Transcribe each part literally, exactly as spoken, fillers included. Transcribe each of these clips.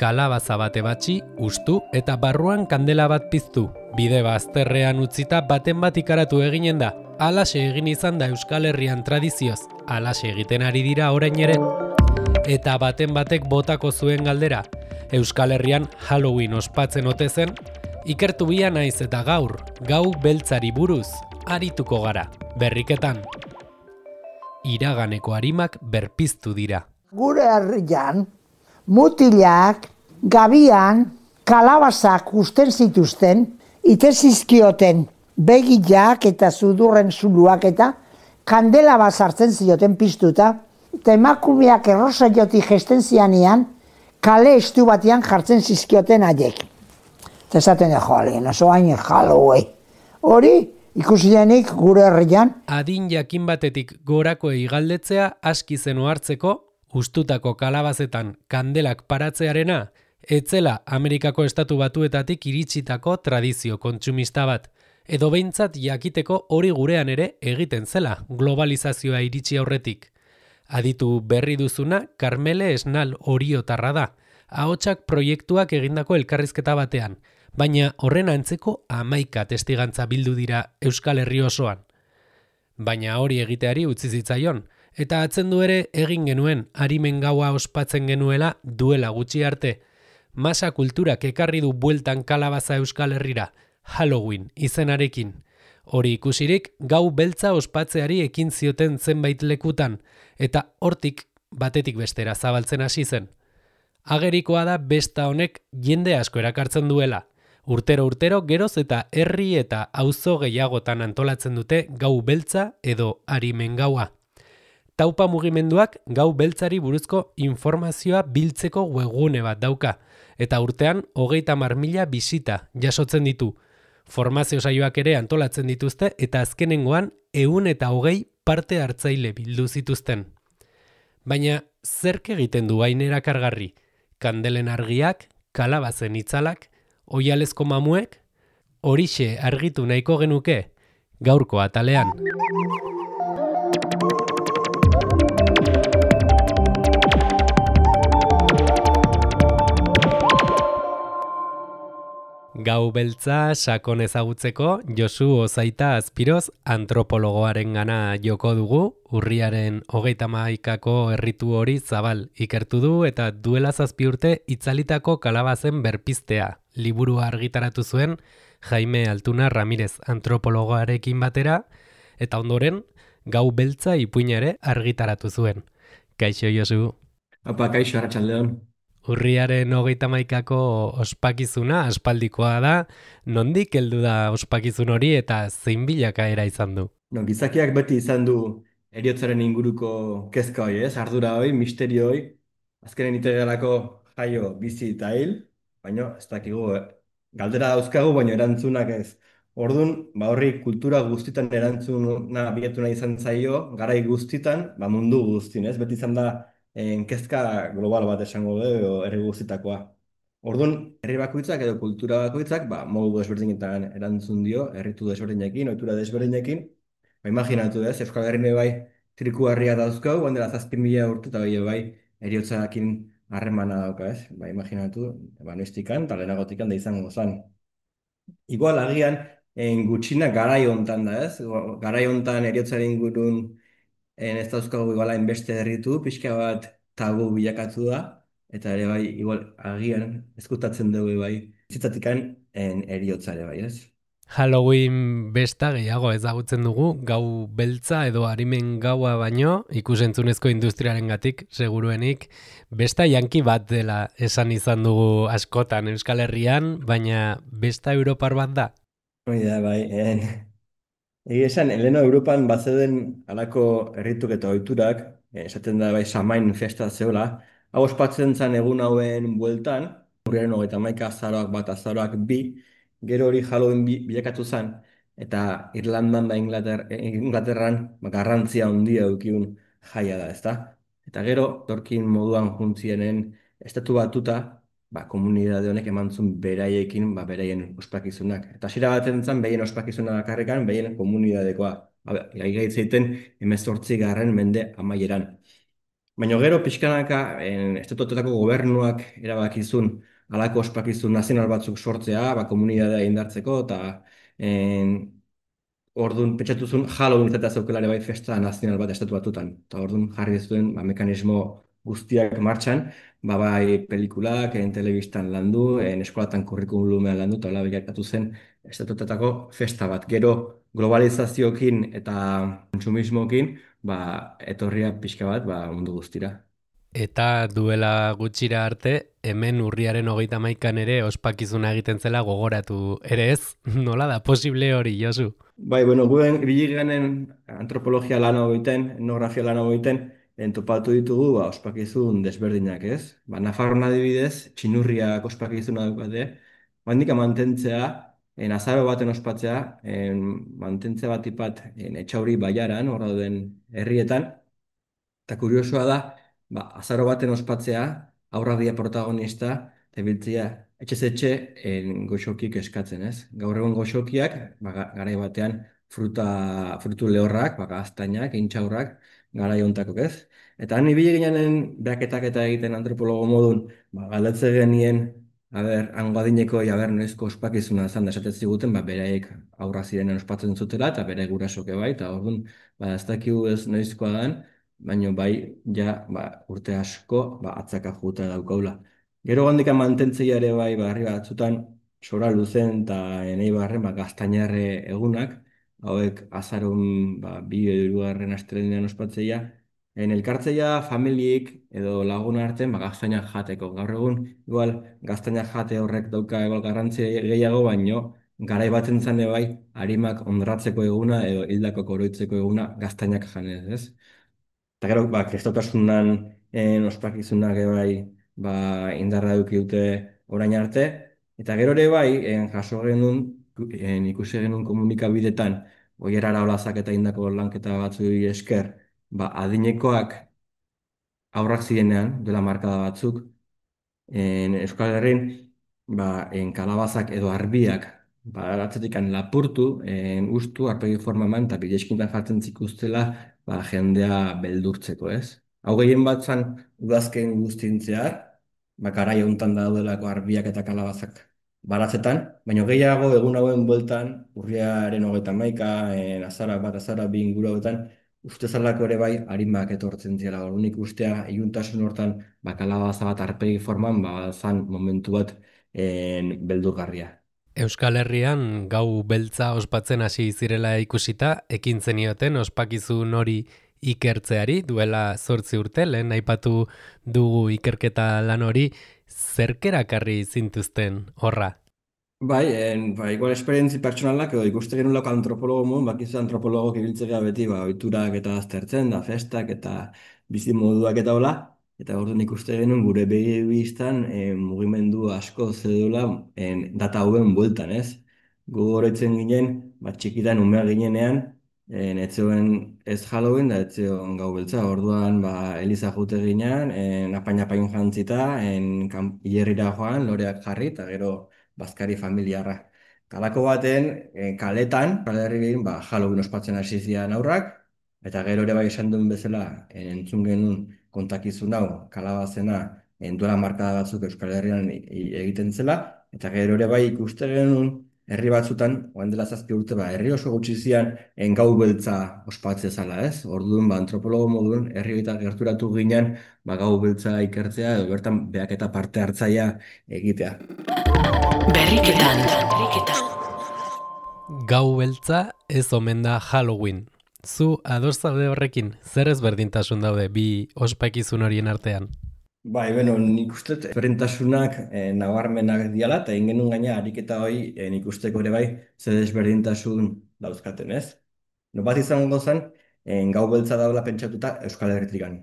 Kalabaza bate batxi, ustu eta barruan kandela bat piztu. Bide bazterrean utzita baten bat ikaratu eginen da. Halaxe egin izan da Euskal Herrian tradizioz. Halaxe egiten ari dira orain ere. Eta baten batek botako zuen galdera. Euskal Herrian Halloween ospatzen ote zen? Ikertu bia naiz eta gaur, gau beltzari buruz, arituko gara. Berriketan. Iraganeko arimak berpiztu dira. Gure herrian, mutilak, gabian, kalabazak usten zituzten, itezizkioten begilak eta sudurren zuluak eta kandela bat sartzen zioten piztuta, eta emakumeak errosa joti gesten zianean, kale estu batean jartzen zizkioten haiek. Eta esaten jo, alien, oso hain Halloween. Hori, ikusi denik gure herrian. Adin jakin batetik gorakoei galdetzea aski zenu hartzeko, ustutako kalabazetan kandelak paratzearena, etzela Amerikako estatu batuetatik iritsitako tradizio kontsumista bat, edo behintzat jakiteko hori gurean ere egiten zela globalizazioa iritsi aurretik. Aditu berri duzuna Karmele Esnal Oriotarra da, ahotsak proiektuak egindako elkarrizketa batean, baina horren antzeko hamaika testigantza bildu dira Euskal Herri osoan. Baina hori egiteari utzi zitzaion, eta atzendu ere egin genuen arimen gaua ospatzen genuela duela gutxi arte. Masa kulturak ekarri du bueltan kalabaza Euskal Herrira, Halloween izenarekin. Hori ikusirik gau beltza ospatzeari ekin zioten zenbait lekutan, eta hortik batetik bestera zabaltzen hasi zen. Agerikoa da besta honek jende asko erakartzen duela. Urtero urtero geroz eta herri eta auzo gehiagotan antolatzen dute gau beltza edo arimen gaua. Taupa mugimenduak gau beltzari buruzko informazioa biltzeko webgune bat dauka, eta urtean hogeita hamar mila bisita jasotzen ditu. Formazio saioak ere antolatzen dituzte eta azkenengoan ehun eta hogei parte hartzaile bildu zituzten. Baina zerk egiten du hain erakargarri? Kandelen argiak, kalabazen itzalak, oihalezko mamuek? Horixe argitu nahiko genuke gaurko atalean. Gau beltza sakon ezagutzeko Josu Ozaita Azpiroz antropologoaren gana joko dugu, urriaren hogeita hamaikako erritu hori zabal ikertu du eta duela zazpi urte itzalitako kalabazen berpiztea. Liburua argitaratu zuen Jaime Altuna Ramirez antropologoarekin batera, eta ondoren gau beltza ipuina ere argitaratu zuen. Kaixo Josu. Apa, kaixo, arratsaldeon. Urriaren hogeita hamaikako ospakizuna aspaldikoa da, nondik heldu da ospakizun hori eta zein bilakaera izan du? No, gizakiak beti izan du heriotzaren inguruko kezka hori, ez? Ardura hori, misterio hori, azkenen itegerako jaio bizi eta hil, baina ez dakigu, eh? Galdera dauzkagu, baina erantzunak ez. Orduan, ba horri kultura guztitan erantzuna bilatu nahi izan zaio, garai guztitan, ba mundu guztin, ez? Beti izan da en kezka global bat esango dugu herri guztitakoa. Orduan, herri bakoitzak edo kultura bakoitzak, ba, modu desberdinetan erantzun dio, herritu desberdinekin, ohitura desberdinekin. Ba, imaginatu ez, Euskal Herrian bai triku harria dauzkau, bandera zazpi mila urte eta bai bai heriotzarekin harremana dauka, ez? Ba, imaginatu, ba, noiztikan, eta lehenagotikan da izango zen. Igual agian, en gutxina garai hontan da, ez? Garai hontan heriotzaren ingurun en ez dauzkagu iguala inbeste herritu, pixka bat tabu bilakatu da, eta ere bai, igual agian ezkutatzen dugu bai, zitzatikan en heriotzare bai, ez? Halloween besta gehiago ezagutzen dugu, gau beltza edo arimen gaua baino, ikusentzunezko industriarengatik seguruenik, besta janki bat dela esan izan dugu askotan Euskal Herrian, baina besta europar bat da? Hoi da, bai, en... Egia esan, Eleno Europan bazeuden halako herrituk eta ohiturak, eh, esaten da bai Samain festa zeola, hau ospatzen zen egun hauen bueltan, urriaren hogeita hamaika azaroak bat azaroak bi, gero hori Halloween bi, bilakatu zen, eta Irlandan da Inglater, Inglaterran ba, garrantzia handia edukiun jaia da, ezta? Eta gero, torkin moduan juntzienen estatu batuta, ba, komunitate honek eman zuen beraiekin, ba, beraien ospakizunak. Eta hasiera baten zen, behien ospakizuna bakarrikan, behien komunitatekoa. Ba, gaitzeiten hemezortzi garren mende amaieran. Baina gero pixkanaka en, estatuetako gobernuak erabakizun halako ospakizun nazional batzuk sortzea, ba, komunitatea indartzeko, eta en, orduan pentsatu zuen Halloween izatea zeukela ere bai festa nazional bat estatu batutan. Eta orduan jarri zuen ba, mekanismo guztiak martxan, ba, bai pelikulak, en telebistan landu, en eskolatan kurrikulumean landu, eta hola bilakatu zen estatutetako festa bat. Gero globalizaziokin eta kontsumismokin, ba, etorria pixka bat ba, mundu guztira. Eta duela gutxira arte, hemen urriaren hogeita hamaikan ere ospakizuna egiten zela gogoratu ere ez? Nola da posible hori, Josu? Bai, bueno, guen biliganen antropologia lana egiten, etnografia lana egiten, entopatu ditugu ba, ospakizun desberdinak, ez? Ba, Nafarroan adibidez, txinurriak ospakizuna daukate, bandika mantentzea, en azaro baten ospatzea, en, mantentzea bat ipat en, etxauri baiaran, horra den herrietan, eta kuriosoa da, ba, azaro baten ospatzea, aurra dia protagonista, eta biltzea, etxez etxe en, goxokik eskatzen, ez? Gaur egun goxokiak, ba, ga- garai batean, fruta, frutu lehorrak, ba, gaztainak, intxaurrak, garai hontakok, ez? Eta han ibili ginen behaketak eta egiten antropologo modun, ba, galdetze genien, a ber, hango adineko, ja ber, noizko ospakizuna zan da esaten ziguten, ba, bereik aurra zirenen ospatzen zutela, eta bere gurasoke bai, eta orduan, ba, ez dakigu ez noizkoa dan, baina bai, ja, ba, urte asko, ba, atzaka juta daukaula. Gero gandikan mantentzeia ere bai, barri batzutan, sora luzen eta enei barren, ba, gaztainarre egunak, hauek azarun, ba, bi edo hirugarren astelenean ospatzeia, en elkartzeia familiek edo lagun artean, ba, gaztainak jateko. Gaur egun, igual, gaztainak jate horrek dauka igual garrantzi gehiago, baino, garai baten zane bai, harimak honratzeko eguna edo hildako koroitzeko eguna gaztainak janez, ez? Eta gero, ba, kristotasunan en, ospakizunak ere bai ba, indarra eduki dute orain arte. Eta gero ere bai, en, jaso genuen, en, ikusi genuen komunikabidetan, oierara olazak eta indako lanketa batzu esker, ba, adinekoak aurrak zirenean, duela markada batzuk, en Euskal Herrin, ba, en kalabazak edo arbiak, ba, atzetik lapurtu, en ustu, arpegi forma eman, eta bideskintan jartzen zikuztela, ba, jendea beldurtzeko, ez? Hau gehien bat zan, udazken guztien zehar, ba, garai honetan daudelako arbiak eta kalabazak baratzetan, baina gehiago egun hauen bueltan, urriaren hogeita hamaika, en azara bat, azara bi inguru hauetan, uste zalako ere bai, harimak etortzen zela, unik ustea, iluntasun hortan, ba, kalabaza bat arpegi forman, ba, zan momentu bat en, beldurgarria. Euskal Herrian gau beltza ospatzen hasi zirela ikusita, ekin zenioten ospakizun hori ikertzeari, duela zortzi urte, lehen aipatu dugu ikerketa lan hori, zerkerakarri zintuzten horra? Bai, en, ba, igual esperientzi pertsonalak edo ikuste genulako antropologo mun, bakizu antropologok ibiltzea beti, ba, ohiturak eta aztertzen, da festak eta bizi moduak eta hola, eta orduan ikuste genuen gure begi bistan eh, mugimendu asko zedula en, data hauen bueltan, ez? Gu oroitzen ginen, bat txikitan umea ginenean, en, ez zegoen ez Halloween, da ez zegoen gau beltza, orduan ba, Eliza jute ginen, en, apain-apain jantzita, en, kan- hilerrira joan, loreak jarri, eta gero bazkari familiarra. Kalako baten, eh, kaletan, Euskal Herrian, ba, Halloween ospatzen hasi ziren aurrak, eta gero ere bai esan duen bezala, eh, entzun genuen kontakizun hau, kalabazena, en duela markada batzuk Euskal Herrian i- i- egiten zela, eta gero ere bai ikuste genuen, herri batzutan, orain dela zazpi urte, ba, herri oso gutxi zian, en gau beltza ospatze zala, ez? Orduan, ba, antropologo modun, herri eta gerturatu ginen, ba, gau beltza ikertzea, edo bertan beak eta parte hartzaia egitea. Berriketan. Gau beltza ez omen da Halloween. Zu ados zaude horrekin, zer ezberdintasun daude bi ospakizun horien artean? Bai, beno, nik uste dut ezberdintasunak eh, nabarmenak diala, eta egin genuen gaina ariketa hori eh, nik usteko ere bai, zer desberdintasun dauzkaten, ez? No bat izango zen, eh, gau beltza daula pentsatuta Euskal Herritikan.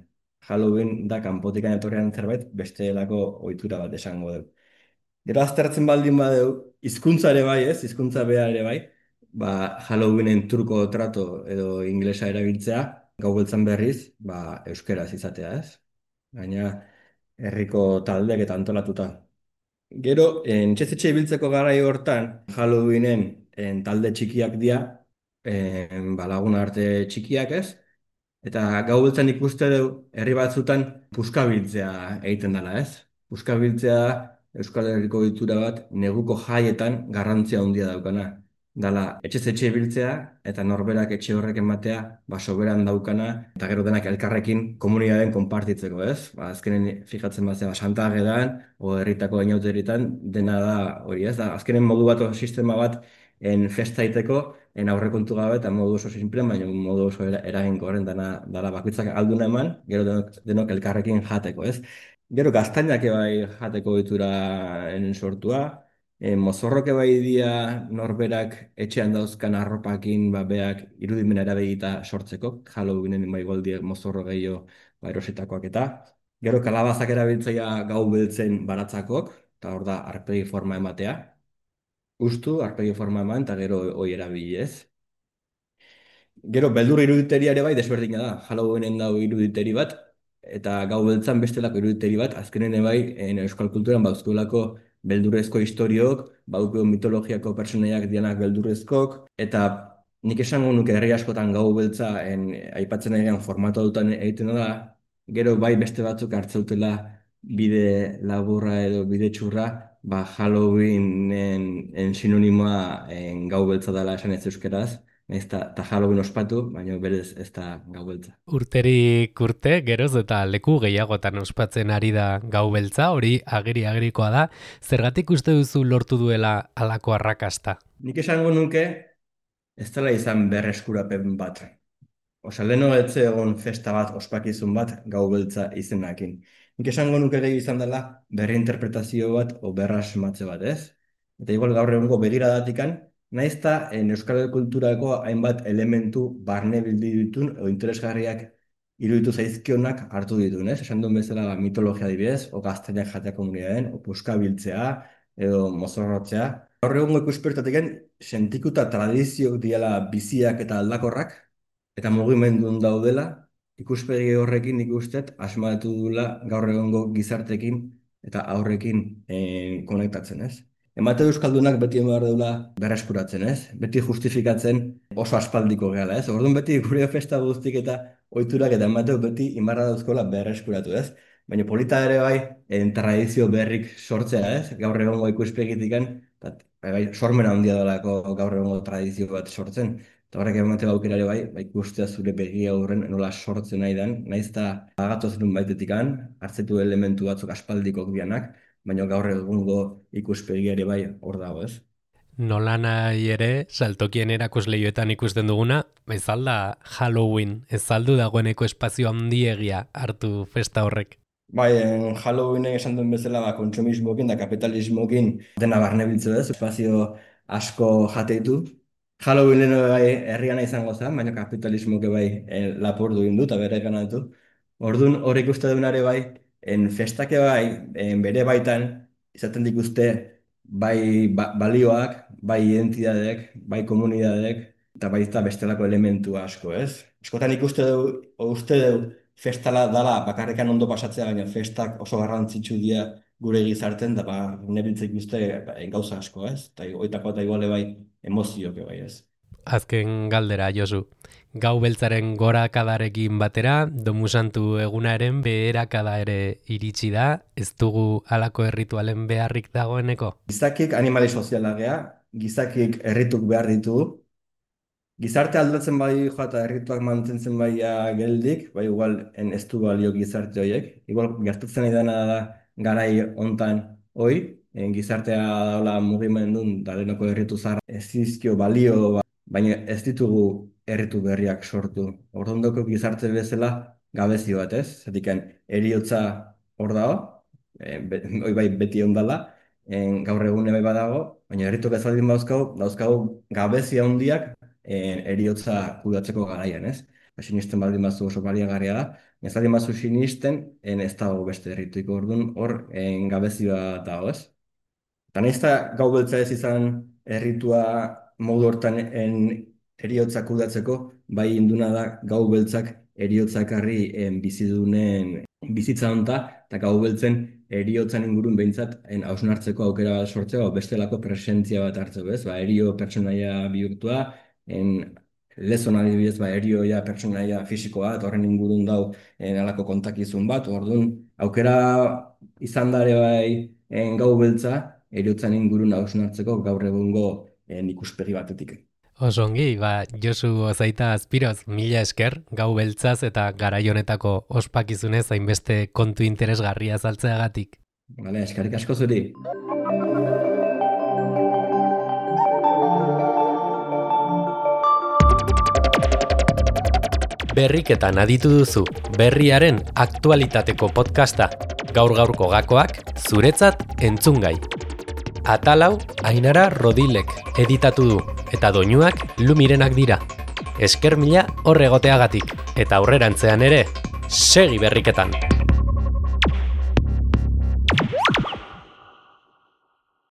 Halloween da kanpotikan etorrian zerbait, bestelako ohitura bat esango dugu. Gero aztertzen baldin badeu, hizkuntza ere bai, ez? Hizkuntza bea ere bai, ba, Halloweenen turko trato edo inglesa erabiltzea, gau beltzan berriz, ba, euskeraz izatea, ez? Gaina, herriko taldeak eta antolatuta. Gero, etxez-etxe ibiltzeko garai hortan, Halloweenen en, talde txikiak dira, en, ba, lagun arte txikiak ez, Eta gau beltzan ikuste du herri batzutan puskabiltzea egiten dela, ez? Puskabiltzea Euskal Herriko ohitura bat neguko jaietan garrantzia handia daukana. Dala etxez etxe biltzea eta norberak etxe horrek ematea ba soberan daukana eta gero denak elkarrekin komunitateen konpartitzeko, ez? Ba, azkenen fijatzen bazea Santa Agedan o herritako inauteritan dena da hori, ez? Da, azkenen modu bat o sistema bat en festa iteko en aurrekontu gabe eta modu oso sinplean, baina modu oso era, eraginkorren dana dala bakoitzak alduna eman, gero denok, denok elkarrekin jateko, ez? Gero gaztainak bai jateko ohitura en sortua, e, mozorroke bai dia norberak etxean dauzkan arropakin ba, beak irudimena erabegita sortzeko, Halloweenen bai goldiek mozorro gehiago ba, erositakoak eta. Gero kalabazak erabiltzaia gau beltzen baratzakok, eta hor da arpegi forma ematea. Ustu, arpegi forma eman, eta gero hoi erabili ez. Gero, beldur iruditeria ere bai desberdina da. Halloweenen dago iruditeri bat, eta gau beltzan bestelako iruditeri bat, azkenen ere bai, en euskal kulturan bauzkulako beldurrezko historiok, bauko mitologiako personaiak dianak beldurrezkok, eta nik esango nuke herri askotan gau beltza en, aipatzen egin formatu dutan egiten da, gero bai beste batzuk hartzautela bide laburra edo bide txurra, ba Halloweenen en sinonimoa en gau beltza dela esan ez euskeraz, nahiz eta ta Halloween ospatu, baina berez ez da gau beltza. Urterik urte, geroz eta leku gehiagotan ospatzen ari da gau beltza, hori agiri-agirikoa da. Zergatik uste duzu lortu duela halako arrakasta? Nik esango nuke ez dela izan berreskurapen bat. Osa, leheno etze egon festa bat, ospakizun bat, gau beltza izenakin. Nik esango nuke gehi izan dela berreinterpretazio bat o berrasmatze bat, ez? Eta igual gaur egungo begiradatikan, nahiz eta en euskal kulturako hainbat elementu barne bildi ditun o interesgarriak iruditu zaizkionak hartu ditun, ez? Esan duen bezala mitologia adibidez, o gaztainak jatea komunitateen, o puska biltzea, edo mozorrotzea. Gaur egungo ikuspertatik sentikuta tradizioak diela biziak eta aldakorrak, eta mugimendun daudela, ikuspegi horrekin ikustet asmatu dula gaur egongo gizartekin eta aurrekin eh, konektatzen, ez? Emate euskaldunak beti behar dula berreskuratzen, ez? Beti justifikatzen oso aspaldiko gehala, ez? Orduan beti gure festa guztik eta ohiturak eta emateu beti inbarra dauzkola berreskuratu, ez? Baina polita ere bai, en tradizio berrik sortzea, ez? Gaur egongo ikuspegitikan, eta bai, sormena handia dalako gaur egongo tradizio bat sortzen. Eta horrek ematen aukera ere bai, bai ikustea zure begia horren nola sortzen nahi den, nahiz eta agatoz nun baitetikan, hartzetu elementu batzuk aspaldikok dianak, baina gaur egungo ikuspegia ere bai hor dago, ez? Nola nahi ere, saltokien erakusleioetan ikusten duguna, ez alda Halloween, ez aldu dagoeneko espazio handiegia hartu festa horrek. Bai, en Halloweenen esan duen bezala, ba, kontsumismokin da kapitalismokin dena barne biltzu ez, espazio asko jateitu. Halloween leheno bai herriana izango zen, baina kapitalismoke bai eh, lapurdu egin du eta bere ganatu. Orduan hor ikuste dunare bai, en festake bai, en bere baitan, izaten dituzte bai ba- balioak, bai identitateek, bai komunitateek, eta baita bestelako elementu asko, ez? Askotan ikuste du, o uste du, festala dala bakarrikan ondo pasatzea, baina festak oso garrantzitsu dira gure gizarten, da ba, nebiltzek uste ba, gauza asko, ez? Eta oitako eta iguale bai emozioke bai, ez? Azken galdera, Josu. Gau beltzaren gorakadarekin batera, domusantu egunaren beherakada ere iritsi da, ez dugu halako erritualen beharrik dagoeneko? Gizakik animali soziala gea, gizakik errituk behar ditugu, gizarte aldatzen bai joa eta errituak mantentzen bai geldik, bai igual en ez du balio gizarte horiek. Igual gertatzen ari dena da garai hontan hoi, en gizartea daula mugimendun da denoko erritu zahar ez dizkio balio, ba- baina ez ditugu erritu berriak sortu. Orduan gizarte bezala gabezi bat, ez? Zatiken heriotza hor dago, e, be, hoi bai beti ondala, en, gaur egune bai badago, baina erritu bezaldin dauzkagu, dauzkagu gabezi handiak en, eriotza kudatzeko garaian, ez? Ba, sinisten baldin bazu oso baliagarria da, ez baldin bazu sinisten, en ez dago beste errituiko orduan, hor en, gabezi bat dago, ez? Eta nahiz eta gau beltza ez izan erritua modu hortan en, eriotza kudatzeko, bai induna da gau beltzak eriotza ekarri en, bizidunen bizitza honta, eta gau beltzen eriotzan ingurun behintzat en, hausnartzeko aukera sortzeko, bestelako presentzia bat hartzeko, ez? Ba, erio pertsonaia bihurtua, en, lezon adibidez, ba, erioia, pertsonaia, fisikoa, eta horren ingurun dau eh, alako kontakizun bat, orduan, aukera izan dare bai eh, gau beltza, eriotzan ingurun hausnartzeko gaur egungo eh, ikuspegi batetik. Oso ongi, ba, Josu Ozaita Azpiroz, mila esker, gau beltzaz eta garai honetako ospakizunez hainbeste kontu interesgarria azaltzeagatik. Vale, eskerrik asko zuri. Berriketan aditu duzu, berriaren aktualitateko podcasta, gaur-gaurko gakoak, zuretzat entzungai. Atalau, Ainara Rodilek editatu du, eta doinuak Lumirenak dira. Esker mila hor egoteagatik, eta aurrerantzean ere, segi berriketan!